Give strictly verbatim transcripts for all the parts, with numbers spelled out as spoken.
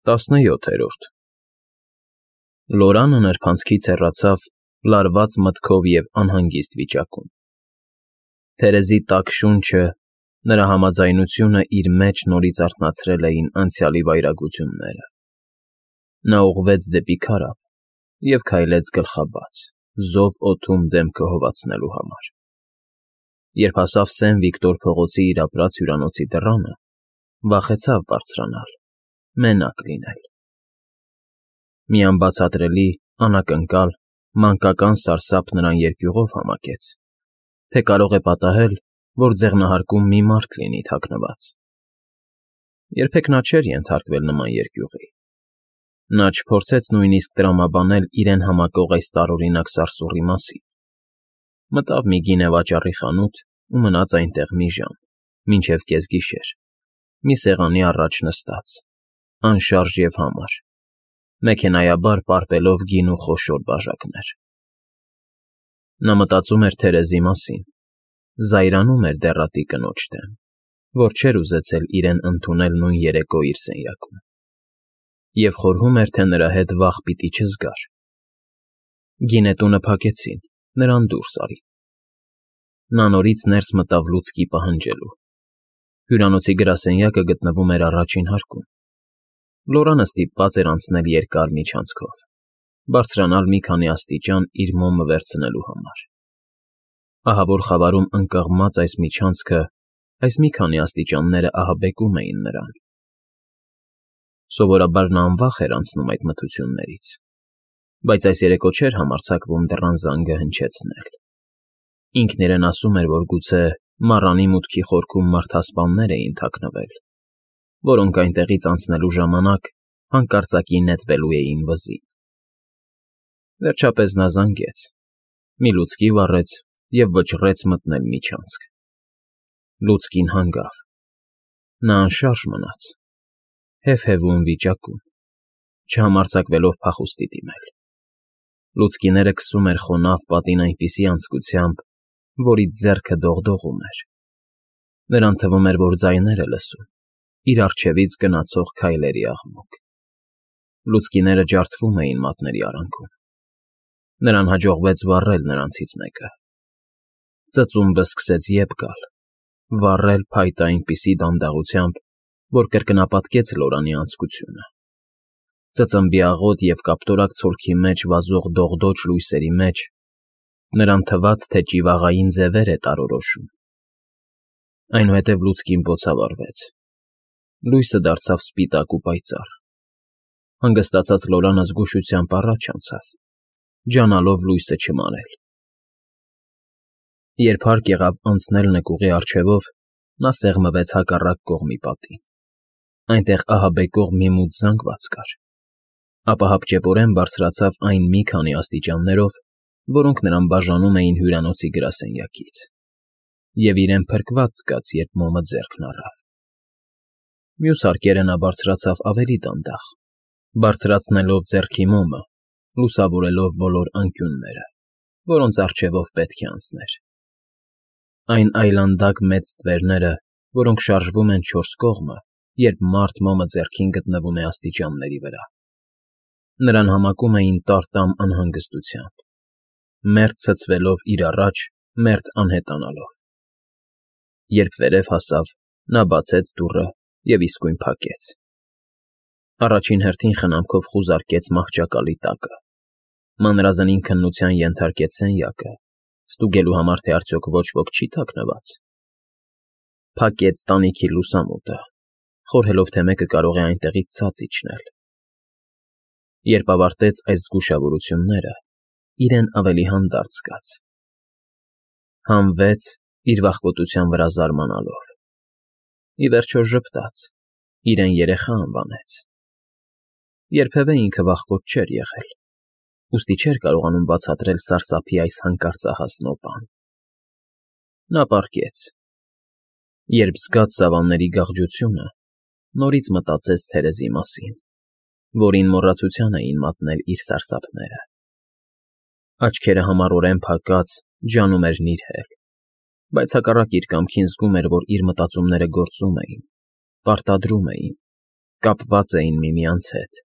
Տասնյոթերորդ Լորանը նրբանցքից հեռացավ լարված մտքով և անհանգիստ վիճակում. թերեզի տաք շունչը, նրա համաձայնությունը իր մեջ նորից արթնացրել էին անցյալի վայրագությունները։ Նա ուղղվեց դեպի քարափ և քայլեց գլխաբաց, զով օդում դեմքը հովացնելու համար։ Երբ հասավ Սեն Վիկտոր փողոցի իր ապրած հյուրանոցի դռանը, վախեցավ բարձրանալ, մենակ լինել։ Մի անբացատրելի, անակնկալ, մանկական սարսափ նրան երկյուղով համակեց, թե կարող է պատահել, որ ձեղնահարկում մի մարդ լինի թաքնված։ Երբեք նա չէր ենթարկվել նման երկյուղի։ Նա չփորձեց նույնիսկ տրամաբանել իրեն համակող այս տարօրինակ սարսուռի մասին։ Մտավ մի գինեվաճառի խանութ ու մնաց այնտեղ մի ժամ, մինչև կեսգիշեր, մի սեղանի առաջ նստած, անշարժ և համար, մեքենայաբար պարպելով գինու խոշոր բաժակներ։ Նա մտածում էր Թերեզի մասին, զայրանում էր դեռատի կնոջ դեմ, որ չէր ուզեցել իրեն ընդունել նույն երեկո իր սենյակում, և խորհում էր, թե նրա հետ վաղ պիտի չզգար։ Գինետունը փակեցին, նրան դուրս արին։ Նա նորից ներս մտավ լուցկի պահանջելու։ Հյուրանոցի գրասենյակը գտնվում էր առաջին հարկում։ Լորանը ստիպված էր անցնել երկար միջանցքով, բարձրանալ մի քանի աստիճան իր մոմը վերցնելու համար։ Ահավոր խավարում ընկղմած այս միջանցքը, այս մի քանի աստիճանները ահաբեկում էին նրան։ Սովորաբար նա անվախ էր անցնում այդ մթություններից, բայց այս երեկո չէր համարձակվում դռան զանգը հնչեցնել։ Ինքն իրեն ասում էր, որ գուցե մառանի մուտքի խորքում մարդասպաններ էին թաքնվել, որոնք այնտեղից անցնելու ժամանակ հանկարծակի նետվելու էին վզին։ Վերջապես նա զանգեց, մի լուցկի վառեց և վճռեց մտնել միջանցք։ Լուցկին հանգավ։ Նա անշարժ մնաց, հեվհևում վիճակում, չհամարձակվելով փախուստի դիմել։ Լուցկիները քսում էր խոնավ պատին այնպիսի անձկությամբ, որից ձեռքը դողդողում էր։ Նրան թվում էր, որ ձայներ է լսում, իր առջևից գնացող քայլերի աղմուկ։ Լուցկիները ջարդվում էին մատների արանքում։ Նրան հաջողվեց վառել նրանցից մեկը։ Ծծումբը սկսեց ետ գալ, վառել փայտը այնպիսի դանդաղությամբ, որ կրկնապատկեց Լորանի անձկությունը։ Ծծմբի աղոտ և կապտորակ ցոլքի մեջ վազող դողդոջ լույսերի մեջ նրան թվաց, թե ճիվաղային ձևեր է տարորոշում։ Այնուհետև լուցկին բոցավառվեց։ Լույսը դարձավ սպիտակ ու պայծառ։ Հանգստացած Լորանը զգուշությամբ առաջ անցավ, ջանալով լույսը չմարել։ Երբ հարկ եղավ անցնել նկուղի առջևով, նա սեղմվեց հակառակ կողմի պատին։ Այնտեղ ահաբեկող մի մութ զանգված կար։ Ապա հապճեպորեն բարձրացավ այն մի քանի աստիճաններով, որոնք նրան բաժանում էին հյուրանոցի գրասենյակից, և իրեն փրկված զգաց, երբ մոմը ձեռքն առավ։ Մյուս հարկերը նա բարձրացավ ավելի դանդաղ, բարձրացնելով ձեռքի մոմը, լուսավորելով բոլոր անկյունները, որոնց առջևով պետք է անցներ։ Այն այլանդակ մեծ ստվերները, որոնք շարժվում են չորս կողմը, երբ մարդ մոմը ձեռքին գտնվում է աստիճանների վրա։ Նրան համակում էին տար֊տամ անհանգստությամբ, մերթ ցցվելով իր առաջ, մերթ անհետանալով։ Երբ վերև հասավ, նա բացեց դուռը և իսկույն փակեց։ Առաջին հերթին խնամքով խուզարկեց մահճակալի տակը, մանրազնին քննության ենթարկեց սենյակը, ստուգելու համար, թե արդյոք ոչ ոք չի թաքնված։ Փակեց տանիքի լուսամուտը, խորհելով, թե մեկը կարող է այնտեղից ցած իջնել։ Երբ ավարտեց այս զգուշավորությունները, իրեն ավելի հանդարտ զգաց։ Հանվեց, իր վախկոտության վրա զարմանալով։ Ի վերջո ժպտաց, իրեն երեխա անվանեց։ Երբևէ ինքը վախկոտ չէր եղել, ուստի չէր կարողանում բացատրել սարսափի այս հանկարծահաս նոպան։ Նա պառկեց։ Երբ զգաց սավանների գաղջությունը, նորից մտածեց Թերեզի մասին, որին մոռացության էին մատնել իր սարսափները։ Աչքերը համառորեն փակած, ջանում էր նիրհել, բայց հակառակ իր կամքին զգում էր, որ իր մտածումները գործում էին, պարտադրում էին, կապված էին միմյանց հետ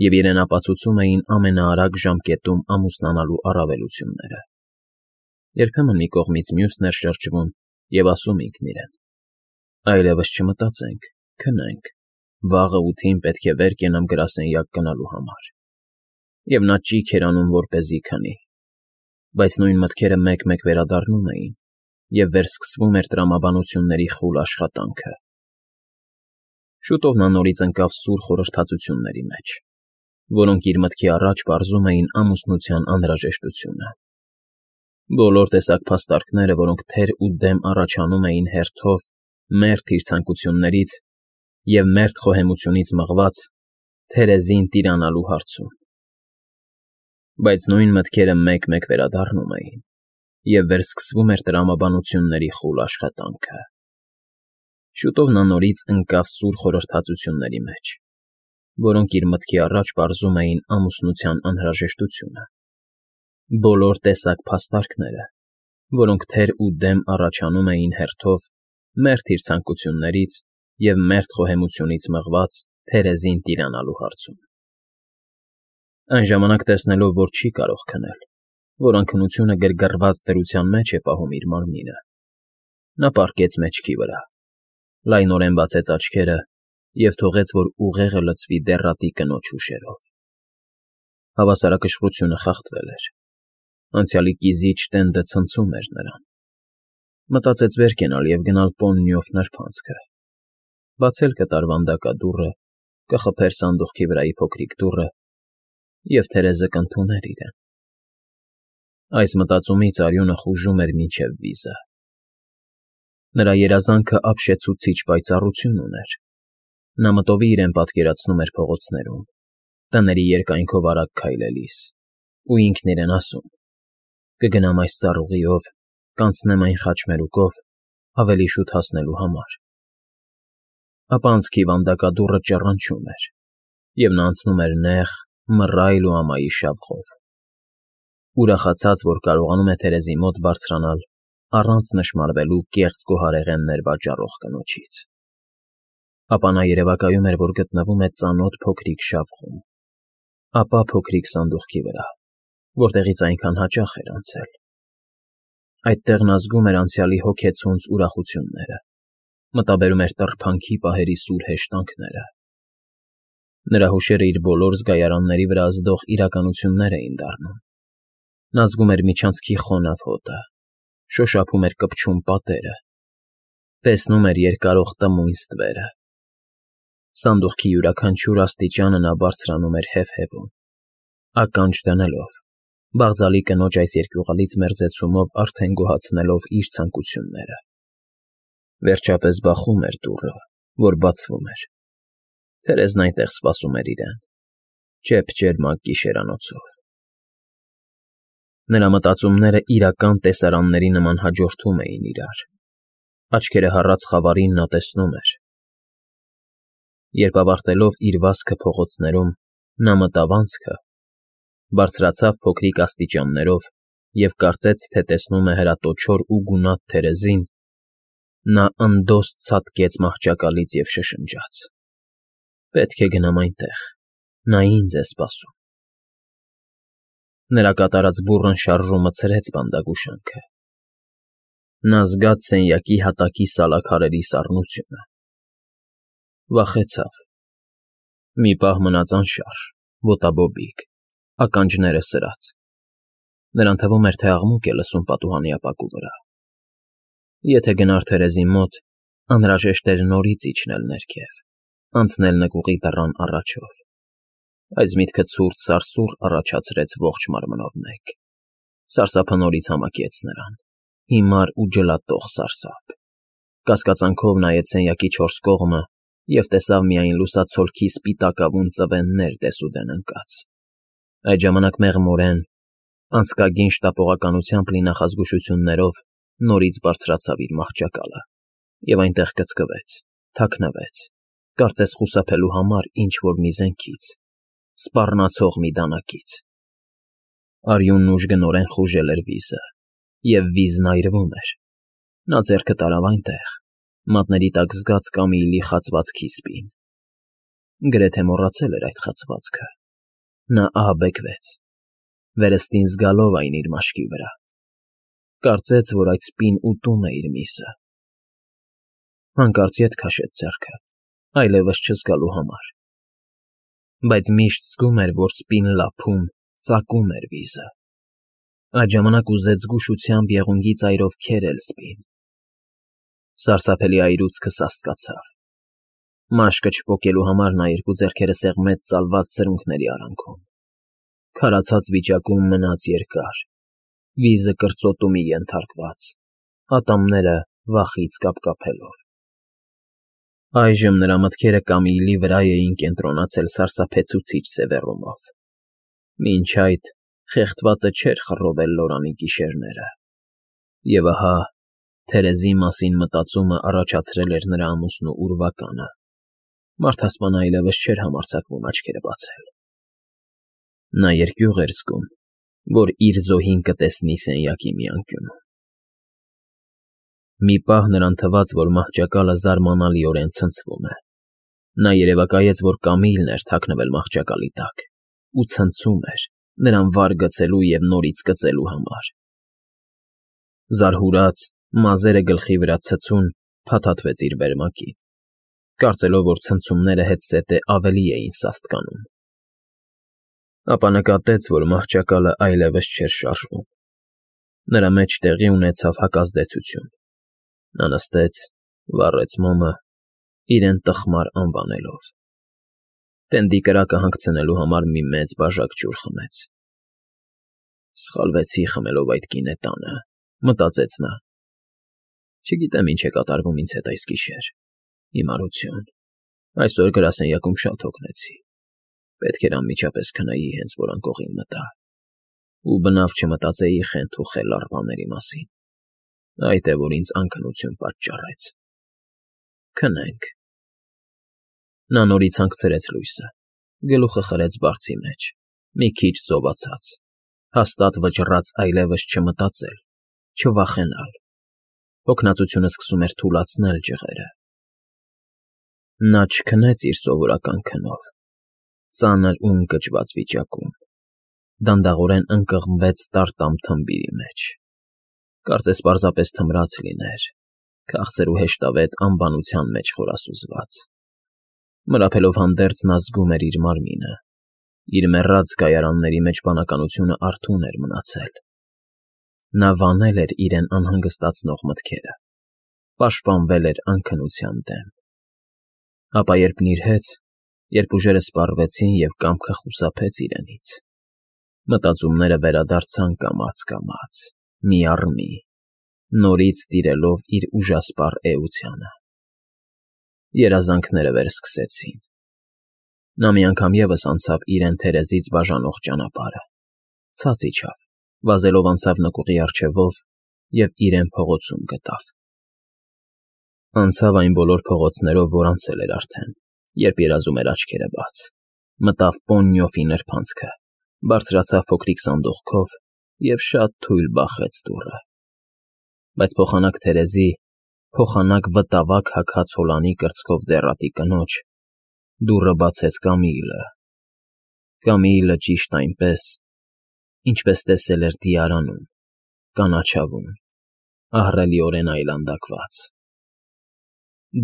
և իրենապացուցում էին ամենաարագ ժամկետում ամուսնանալու առավելությունները։ Երբեմն մի կողմից մյուսն էր շրջվում և ասում ինքն իրեն. «Այլևս չմտածենք, քնենք, վաղը ութին պետք է վեր կենամ գրասենյակ գնալու համար»։ Եվ նա ճիգ էր անում, որպեսզի քնի, բայց նույն մտքերը մեկ֊մեկ վերադառնում էին, և վերսկսվում էր տրամաբանությունների խուլ աշխատանքը։ Շուտով նա նորից ընկավ սուր խորհրդածությունների մեջ, որոնք իր մտքի առաջ պարզում էին ամուսնության անհրաժեշտությունը։ Բոլոր տեսակ փաստարկները, որոնք թեր ու դեմ առաջանում էին հերթով մերթ իր ցանկություններից և մերթ խոհեմությունից մղված Թերեզին տիրանալու հարցում։ Բայց նույն մտքերը մեկ֊մեկ վերադառնում էին, և վերսկսվում էր տրամաբանությունների խուլ աշխատանքը։ Շուտով նա նորից ընկավ սուր խորհրդածությունների մեջ, որոնք իր մտքի առաջ պարզում էին ամուսնության անհրաժեշտությունը։ Բոլոր տեսակ փաստարկները, որոնք թեր ու դեմ առաջանում էին հերթով մերթ իր ցանկություններից և մերթ խոհեմությունից մղված Թերեզին տիրանալու հարցում։ Այն ժամանակ, տեսնելով, որ չի կարող քնել, որ անքնությունը գրգռված դրության մեջ է պահում իր մարմինը, նա պառկեց մեջքի վրա, լայնորեն բացեց աչքերը և թողեց, որ ուղեղը լցվի դեռատի կնոջ հուշերով։ Հավասարակշռությունը խախտվել էր։ Անցյալի կիզիչ տենդը ցնցում էր նրան։ Մտածեց վեր կենալ և գնալ Պոննիոֆ նրբանցքը, բացել կտար վանդակադուռը, կխփեր սանդուղքի վրայի փոքրիկ դուռը, և Թերեզը կընդուներ իրեն։ Այս մտածումից արյունը խուժում էր մինչև վիզը։ Նրա երազանքը ապշեցուցիչ պայծառություն ուներ։ Նա մտովի իրեն պատկերացնում էր փողոցներում, տների երկայնքով արագ քայլելիս, ու ինքն իրեն ասում. «Կգնամ այս ծառուղիով, կանցնեմ այն խաչմերուկով, ավելի շուտ հասնելու համար»։ Ապա անցքի վանդակադուռը ճռռնչում էր, և նա անցնում էր նեղ, մռայլ ու ամայի շավխով, ուրախացած, որ կարողանում է Թերեզի մոտ բարձրանալ առանց նշմարվելու կեղծ գոհարեղեններ վաճառող կնոջից։ Ապա նա երևակայում էր, որ գտնվում է ծանոթ փոքրիկ շավխում, ապա փոքրիկ սանդուղքի վրա, որտեղից այնքան հաճախ էր անցել։ Այդտեղ նա զգում էր անցյալի հոգեցունց ուրախությունները, մտաբերում էր տռփանքի պահերի սուր հեշտանքները։ Նրա հուշերը իր բոլոր զգայարանների վրա ազդող իրականություններ էին դառնում։ Նա զգում էր միջանցքի խոնավ հոտը, շոշափում էր կպչուն պատերը, տեսնում էր երկարող տմույն ստվերը։ Սանդուղքի յուրաքանչյուր աստիճանը նա բարձրանում էր հեվհեվում, ականջ դնելով, բաղձալի կնոջ այս երկյուղալից մերձեցումով արդեն գոհացնելով իր ցանկությունները։ Վերջապես բախում էր դուռը, որ բացվում էր։ Թերեզն այնտեղ սպասում էր իրեն, ճեպ֊ճերմակ գիշերանոցով։ Նրա մտածումները իրական տեսարանների նման հաջորդում էին իրար։ Աչքերը հառած խավարին նա տեսնում էր։ Երբ ավարտելով իր վազքը փողոցներում, նա մտավ անցքը, բարձրացավ փոքրիկ աստիճաններով և կարծեց, թե տեսնում է հրատոչոր ու գունատ Թերեզին, նա ընդոստ ցատկեց մահճակալից և շշնջաց. «Պետք է գնամ այնտեղ, նա ինձ է սպասում»։ Նրա կատարած բուռն շարժումը ցրեց բանդագուշանքը։ Նա զգաց սենյակի հատակի սալաքարերի սառնությունը։ Վախեցավ։ Մի պահ մնաց անշարժ, ոտաբոբիկ, ականջները սրած։ Նրան թվում էր, թե աղմուկ է լսում պատուհանի ապակու վրա։ Եթե գնար Թերեզի մոտ, անհրաժեշտ էր նորից իջնել ներքև, անցնել նկուղի դռան առաջով։ Այս միտքը ցուրտ սարսուռ առաջացրեց ողջ մարմնով մեկ։ Սարսափը նորից համակեց նրան, հիմար ու ջլատող սարսափ։ Կասկածանքով նայեց սենյակի չորս կողմը և տեսավ միայն լուսացոլքի սպիտակավուն ծվեններ դեսուդեն ընկած։ Այդ ժամանակ մեղմորեն, անցկագին շտապողականությամբ լի նախազգուշություններով նորից բարձրացավ իր մահճակալը և այնտեղ կծկվեց, թաքնվեց, կարծես խուսափելու համար ինչ֊որ մի զենքից, սպառնացող մի դանակից։ Արյունն ուժգնորեն խուժել էր վիզը, և վիզն այրվում էր։ Նա ձեռքը տարավ այնտեղ, մատների տակ զգաց կամիլի խացված քիսպին։ Գրեթե մոռացել էր այդ խացվածքը։ Նա ահաբեկվեց, վերստին զգալով այն իր մաշկի վրա։ Կարծեց, որ այդ սպին ուտում է իր միսը։ Հանկարծ ետ քաշեց ձեռքը, այլևս չզգալու համար։ Բայց միշտ զգում էր, որ սպին լափում, ծակում էր վիզը։ Այդ ժամանակ ուզեց զգուշությամբ եղունգի ծայրով քերել սպին։ Սարսափելի այրուցքը սաստկացավ։ Մաշկը չպոկելու համար նա երկու ձեռքերը սեղմեց ծալված սրունքների արանքում։ Քարացած վիճակում մնաց երկար, վիզը կրծոտումի ենթարկված, ատամները վախից կապկապելով։ Այժմ նրա մտքերը Կամիլի վրա էին կենտրոնացել սարսափեցուցիչ սևեռումով։ Մինչ այդ խեղդվածը չէր խռովել Լորանի գիշերները։ Եվ ահա Թերեզի մասին մտածումը առաջացրել էր նրա ամուսնու ուրվականը։ Մարդասպանը այլևս չէր համարձակվում աչքերը բացել։ Նա երկյուղ էր զգում, որ իր զոհին կտեսնի սենյակի մի անկյունում։ Մի պահ նրան թվաց, որ մահճակալը զարմանալիորեն ցնցվում է։ Նա երևակայեց, որ Կամիլն էր թաքնվել մահճակալի տակ ու ցնցում էր, նրան վար գցելու և նորից կծելու համար։ Զարհուրած, մազերը գլխի վրա ցցուն, փաթաթվեց իր վերմակին, կարծելով, որ ցնցումները հետզհետե ավելի էին սաստկանում։ Ապա նկատեց, որ մահճակալը այլևս չէր շարժվում։ Նրա մեջ տեղի ունեցավ հակազդեցություն։ Նա նստեց, վառեց մոմը, իրեն տխմար անվանելով։ Տենդի կրակը հանգցնելու համար մի մեծ բաժակ ջուր խմեց։ Սխալվեցի խմելով այդ գինետանը, մտածեց նա։ Չգիտեմ ինչ է կատարվում ինձ հետ այս գիշեր։ Հիմարություն։ Այսօր գրասենյակում շատ հոգնեցի։ Պետք էր անմիջապես քնեի, հենց որ անկողին մտա։ Ու բնավ չմտածեի խենթ ու խելառ բաների մասին։ Այդ է, որ ինձ անքնություն պատճառեց։ Քնենք։ Նա նորից հանգցրեց լույսը, գլուխը խրեց բարձի մեջ, մի քիչ զովացած, հաստատ վճռած այլևս չմտածել, չվախենալ։ Հոգնածությունը սկսում էր թուլացնել ջղերը։ Նա չքնեց իր սովորական քնով, ծանր ու ընկճված վիճակում, դանդաղորեն ընկղմվեց տարտամ թմբիրի մեջ։ Կարծես պարզապես թմրած լիներ, քաղցր ու հեշտավետ անբանության մեջ խորասուզված։ Մրափելով հանդերձ նա զգում էր իր մարմինը, իր մեռած կայարանների մեջ բանականությունը արթուն էր մնացել։ Նա վանել էր իրեն անհանգստացնող մտքերը, պաշտպանվել էր անքնության դեմ։ Ապա երբ նիրհեց, երբ ուժերը սպառվեցին և կամքը խուսափեց իրենից, մտածումները վերադարձան կամաց֊կամաց, մի առ մի, նորից տիրելով իր ուժասպառ էությանը։ Երազանքները վերսկսեցին։ Նա մի անգամ ևս անցավ իրեն Թերեզից բաժանող ճանապարհը, ցած իջավ, վազելով անցավ նկուղի առջևով և իրեն փողոցում գտավ։ Անցավ այն բոլոր փողոցներով, որ անցել էր արդեն, երբ երազում էր աչքերը բաց, մտավ Պոննյոֆի նրբանցքը, բարձրացավ փոքրիկ սանդուղքով և շատ թույլ բախեց դուռը։ Բայց փոխանակ Թերեզի, փոխանակ վտավակ հագած հոլանի կրծքով դեռատի կնոջ, դուռը բացեց Կամիլը։ Կամիլը ճիշտ այնպես, ինչպես տեսել էր Դիարանում, կանաչավուն, ահռելիորեն այլանդակված։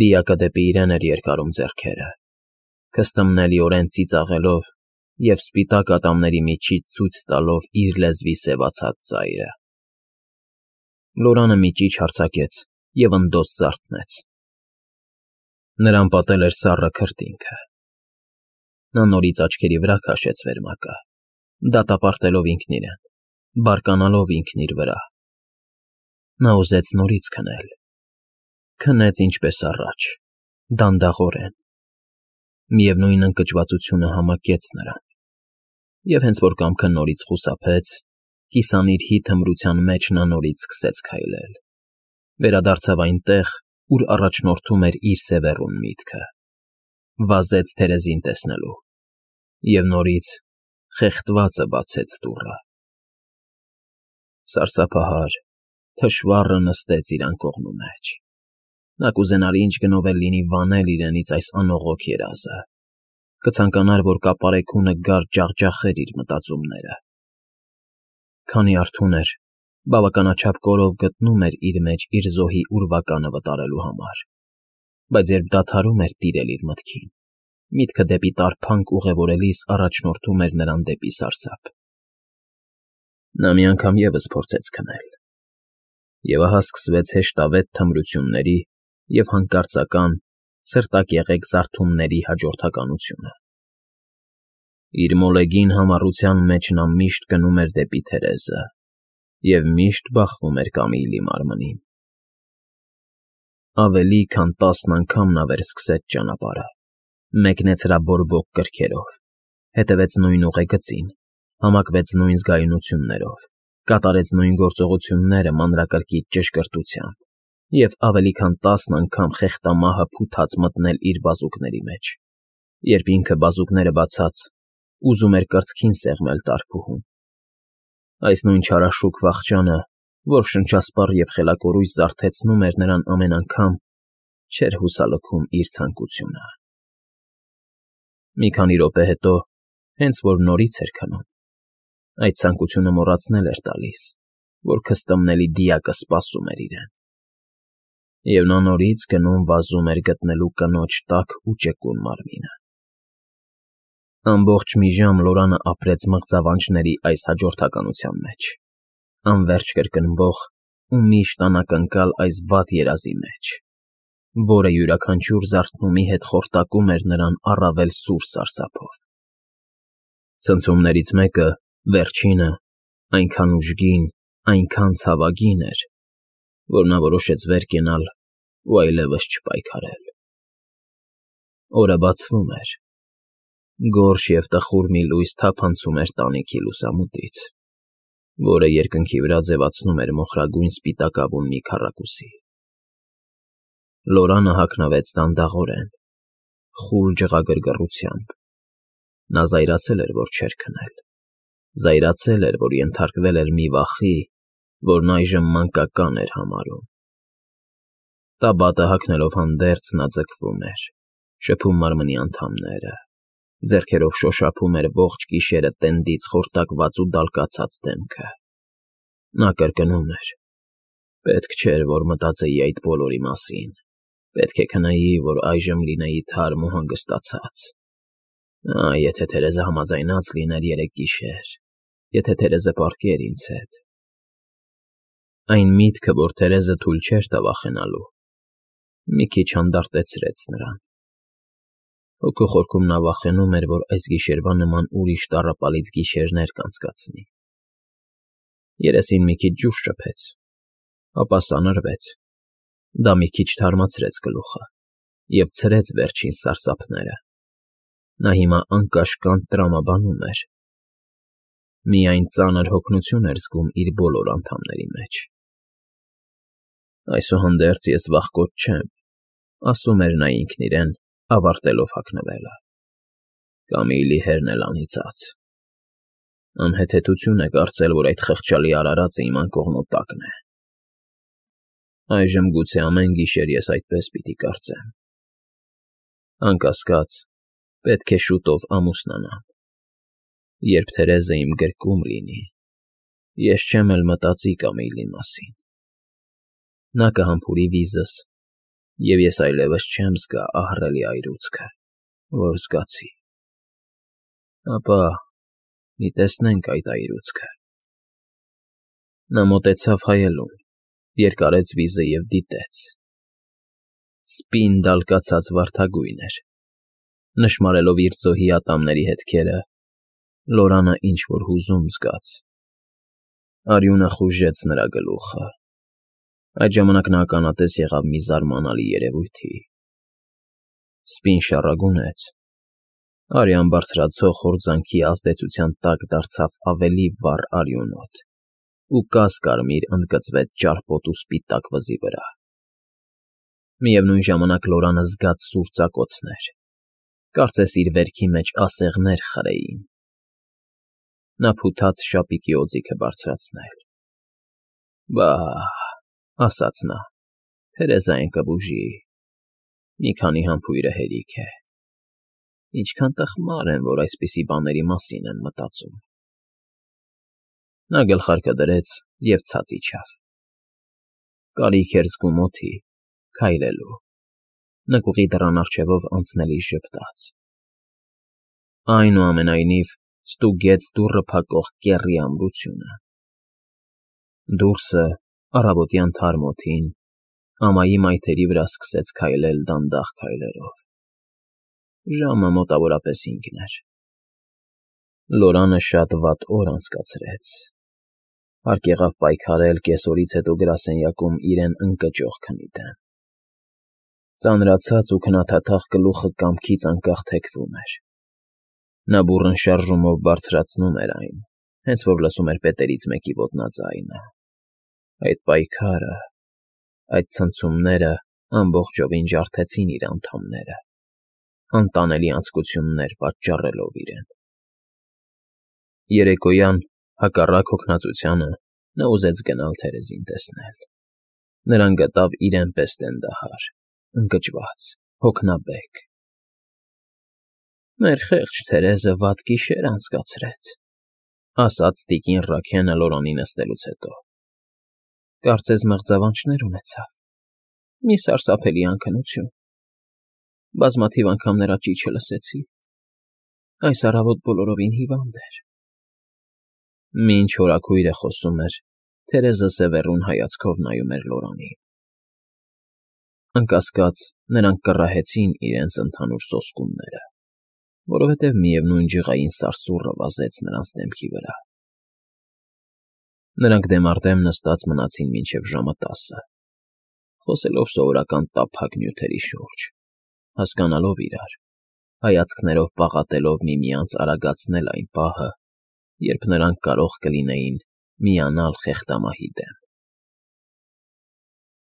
Դիակը դեպի իրեն էր երկարում ձեռքերը, քստմնելիորեն ծիծաղելով և սպիտակ ատամների միջից ցույց տալով իր լեզվի սևացած ծայրը։ Լորանը մի ճիչ հարձակեց և ընդոց զարթնեց։ Նրան պատել էր սառը քրտինքը։ Նա նորից աչքերի վրա քաշեց վերմակը, դատապարտելով ինքն իրեն, բարկանալով ինքն իր վրա։ Նա ուզեց նորից քնել։ Քնեց ինչպես առաջ, դանդաղորեն։ Միևնույն ընկճվածությունը համակեց նրան։ Եվ հենց որ կամքը նորից խուսափեց, կիսանիրհի թմրության մեջ նա նորից սկսեց քայլել։ Վերադարձավ այնտեղ, ուր առաջնորդում էր իր սևեռուն միտքը։ Վազեց Թերեզին տեսնելու։ Եվ նորից խեղդվածը բացեց դուռը։ Սարսափահար, թշվառը նստեց իր անկողնու մեջ։ Նա կուզենար ինչ գնով էլ լինի վանել իրենից այս անողոք երազը, կցանկանար, որ կապարեքունը գար ջախջախեր իր մտածումները։ Քանի արթուն էր, բավականաչափ կորով գտնում էր իր մեջ իր զոհի ուրվականը վտարելու համար, բայց երբ դադարում էր տիրել իր մտքին, միտքը դեպի տառփանք ուղևորելիս առաջնորդում էր նրան դեպի սարսափ։ Նա մի անգամ ևս փորձեց քնել, և ահա սկսվեց հեշտավետ թմրությունների և հանկարծական, սրտակեղեկ զարթումների հաջորդականությունը։ Իր մոլեգին համառության մեջ նա միշտ գնում էր դեպի Թերեզը և միշտ բախվում էր Կամիլի մարմնին։ Ավելի քան տասն անգամ նա վերսկսեց ճանապարհը, մեկնեց հրաբորբոք կրքերով, հետևեց նույն ուղեգծին, համակվեց նույն զգայունություններով, կատարեց նույն գործողությունները մանրակրկիտ ճշգրտությամբ և ավելի քան տասն անգամ խեղտամահը փութաց մտնել իր բազուկների մեջ, երբ ինքը բազուկները բացած, ուզում էր կրծքին սեղմել տարփուհուն։ Այս նույն չարաշուք վախճանը, որ շնչասպառ և խելակորույս զարթեցնում էր նրան ամեն անգամ, չէր հուսալքում իր ցանկությունը։ Մի քանի րոպե հետո, հենց որ նորից էր քնում, այդ ցանկությունը մոռացնել էր տալիս, որ քստմնելի դիակը սպասում էր իրեն, և նա նորից գնում վազում էր գտնելու կնոջ տաք ու ճկուն մարմինը։ Ամբողջ մի ժամ Լորանը ապրեց մղձավանջների այս հաջորդականության մեջ, անվերջ կրկնվող ու միշտ անակնկալ այս վատ երազի մեջ, որը յուրաքանչյուր զարթնումի հետ խորտակում էր նրան առավել սուր սարսափով։ Ցնցումներից մեկը, վերջինը, այնքան ուժգին, այնքան ցավագին էր, որ նա որոշեց վեր կենալ ու այլևս չպայքարել։ Օրը բացվում էր, գորշ և տխուր մի լույս թափանցում էր տանիքի լուսամուտից, որը երկնքի վրա ձևացնում էր մոխրագույն սպիտակավուն մի քառակուսի։ Լորանը հագնվեց դանդաղորեն, խուլ ջղագրգռությամբ։ Նա զայրացել էր, որ չէր քնել, զայրացել էր, որ ենթարկվել էր մի վախի, որն այժմ մանկական էր համարում։ Տաբատը հագնելով հանդերձ նա ձգվում էր, շփում մարմնի անդամները, ձեռքերով շոշափում էր ողջ գիշերը տենդից խորտակված ու դալկացած դեմքը։ Նա կրկնում էր. «Պետք չէր, որ մտածեի այդ բոլորի մասին, պետք է քնեի, որ այժմ լինեի թարմ ու հանգստացած։ Ա, եթե Թերեզը համաձայնած լիներ երեկ գիշեր, եթե Թերեզը պառկեր ինձ հետ»։ Այն միտքը, որ Թերեզը թույլ չէր տա վախենալու, մի քիչ հանդարտեցրեց նրան։ Հոգու խորքում նա վախենում էր, որ այս գիշերվա նման ուրիշ տառապալից գիշերներ կանցկացնի։ Երեսին մի քիչ ջուր շփեց, ապա սանրվեց, դա մի քիչ թարմացրեց գլուխը և ցրեց վերջին սարսափները։ Նա հիմա անկաշկանդ տրամաբանում էր, միայն ծանր հոգնություն էր զգում իր բոլոր անդամների մեջ։ «Այսուհանդերձ ես վախկոտ չեմ», ասում էր նա ինքն իրեն, ավարտելով հագնվելը։ «Կամիլի հերն էլ անիծած։ Անհեթեթություն է կարծել, որ այդ խղճալի արարածը իմ անկողնու տակն է։ Այժմ գուցե ամեն գիշեր ես այդպես պիտի կարծեմ։ Անկասկած, պետք է շուտով ամուսնանամ։ Երբ Թերեզը իմ գրկում լինի, ես չեմ էլ մտածի Կամիլի մասին։ Նա կհամբուրի վիզս, և ես այլևս չեմ զգա ահռելի այրուձքը, որ զգացի։ Ապա մի տեսնենք այդ այրուձքը»։ Նա մոտեցավ հայելուն, երկարեց վիզը և դիտեց։ Սպին դալկացած վարդագույն էր։ Նշմարելով իր զոհի ատամների հետքերը, Լորանը ինչ֊որ հուզում զգաց։ Արյունը խուժեց նրա գլուխը։ Այդ ժամանակ նա ականատես եղավ մի զարմանալի երևույթի։ Սպին շառագունեց, արյան բարձրացող հորձանքի ազդեցության տակ դարձավ ավելի վառ արյունոտ ու կաս֊կարմիր ընդգծվեց ճարպոտ ու սպիտակ վզի վրա։ Միևնույն ժամանակ Լորանը զգաց սուր ծակոցներ, կարծես իր վերքի մեջ ասեղներ խրեին։ Նա փութաց շապիկի օձիքը բարձրացնել։ «Վա՜հ», ասաց նա, «Թերեզային կբուժի, մի քանի համբույրը հերիք է»։ Ինչքան տխմար են, որ այսպիսի բաների մասին են մտածում։ Նա գլխարկը դրեց և ցած իջավ։ Կարիք էր զգում օդի, քայլելու, նկուղի դռան առջևով անցնելիս ժպտաց։ Այնուամենայնիվ ստուգեց դուռը փակող կեռի ամրությունը։ Դուրսը, առավոտյան թարմ օդին, ամայի մայթերի վրա սկսեց քայլել դանդաղ քայլերով։ Ժամը մոտավորապես հինգն էր։ Լորանը շատ վատ օր անցկացրեց։ Հարկ եղավ պայքարել կեսօրից հետո գրասենյակում իրեն ընկճող քնի դեմ։ Ծանրացած ու քնաթաթախ գլուխը կամքից անկախ թեքվում էր։ Նա բուռն շարժումով բարձրացնում էր այն, հենց որ լսում էր պետերից մեկի ոտնաձայնը։ Այդ պայքարը, այդ ցնցումները ամբողջովին ջարդեցին իր անդամները, անտանելի անձկություններ պատճառելով իրեն։ Երեկոյան, հակառակ հոգնածությանը, նա ուզեց գնալ Թերեզին տեսնել։ Նրան գտավ իրեն պես տենդահար, ընկճված, հոգնաբեկ։ «Մեր խեղճ Թերեզը վատ գիշեր անցկացրեց», ֊ ասաց տիկին Ռաքենը Լորանի նստելուց հետո։ «Կարծես մղձավանջներ ունեցավ։ Մի սարսափելի անքնություն։ Բազմաթիվ անգամ նրա ճիչը լսեցի։ Այս առավոտ բոլորովին հիվանդ էր»։ Մինչ հորաքույրը խոսում էր, Թերեզը սևեռուն հայացքով նայում էր Լորանին։ Անկասկած, նրանք կռահեցին իրենց ընդհանուր սոսկումները, որովհետև միևնույն ջղային սարսուռը վազեց նրանց դեմքի վրա։ Նրանք դեմառդեմ նստած մնացին մինչև ժամը տասը, խոսելով սովորական տափակ նյութերի շուրջ, հասկանալով իրար, հայացքներով պաղատելով միմյանց արագացնել այն պահը, երբ նրանք կարող կլինեին միանալ խեղդամահի դեմ։